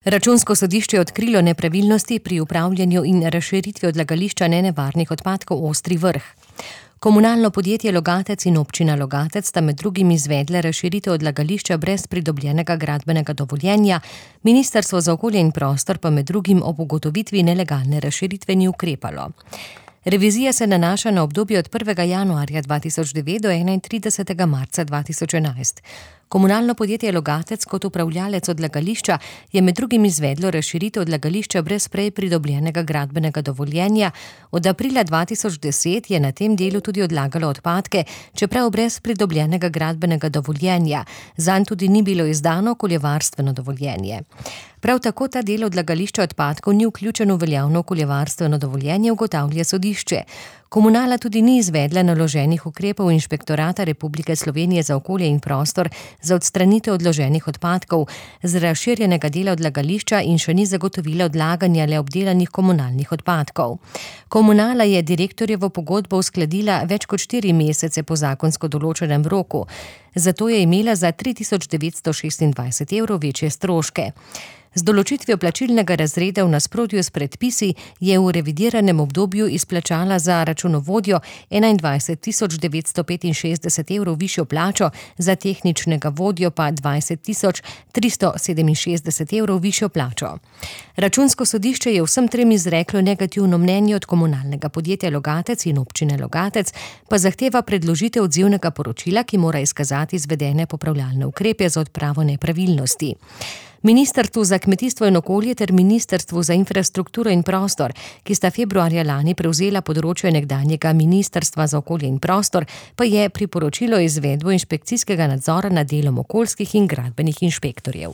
Računsko sodišče je odkrilo nepravilnosti pri upravljanju in razširitvi odlagališča nenevarnih odpadkov Ostri Vrh. Komunalno podjetje Logatec in občina Logatec sta med drugim izvedle razširitev odlagališča brez pridobljenega gradbenega dovoljenja, Ministrstvo za okolje in prostor pa med drugim ob ugotovitvi nelegalne razširitve ni ukrepalo. Revizija se nanaša na obdobje od 1. januarja 2009 do 31. marca 2011. Komunalno podjetje Logatec kot upravljalec odlagališča je med drugim izvedlo razširitev odlagališča brez prej pridobljenega gradbenega dovoljenja. Od aprila 2010 je na tem delu tudi odlagalo odpadke, čeprav brez pridobljenega gradbenega dovoljenja. Zanj tudi ni bilo izdano okoljevarstveno dovoljenje. Prav tako ta del odlagališča odpadkov ni vključen v veljavno okoljevarstveno dovoljenje, ugotavlja sodišče. Komunala tudi ni izvedla naloženih ukrepov Inšpektorata Republike Slovenije za okolje in prostor za odstranitev odloženih odpadkov z razširjenega dela odlagališča in še ni zagotovila odlaganja le obdelanih komunalnih odpadkov. Komunala je direktorjevo pogodbo uskladila več kot 4 mesece po zakonsko določenem roku, zato je imela za 3926 evrov večje stroške. Z določitvijo plačilnega razreda v nasprotju s predpisi je v revidiranem obdobju izplačala za računovodjo 21.965 evrov višjo plačo, za tehničnega vodjo pa 20.367 evrov višjo plačo. Računsko sodišče je vsem trem izreklo negativno mnenje, od komunalnega podjetja Logatec in občine Logatec pa zahteva predložitev odzivnega poročila, ki mora izkazati izvedene popravljalne ukrepe za odpravo nepravilnosti. Ministrstvu za kmetijstvo in okolje ter Ministrstvu za infrastrukturo in prostor, ki sta februarja lani prevzela področje nekdanjega Ministrstva za okolje in prostor, pa je priporočilo izvedbo inšpekcijskega nadzora nad delom okoljskih in gradbenih inšpektorjev.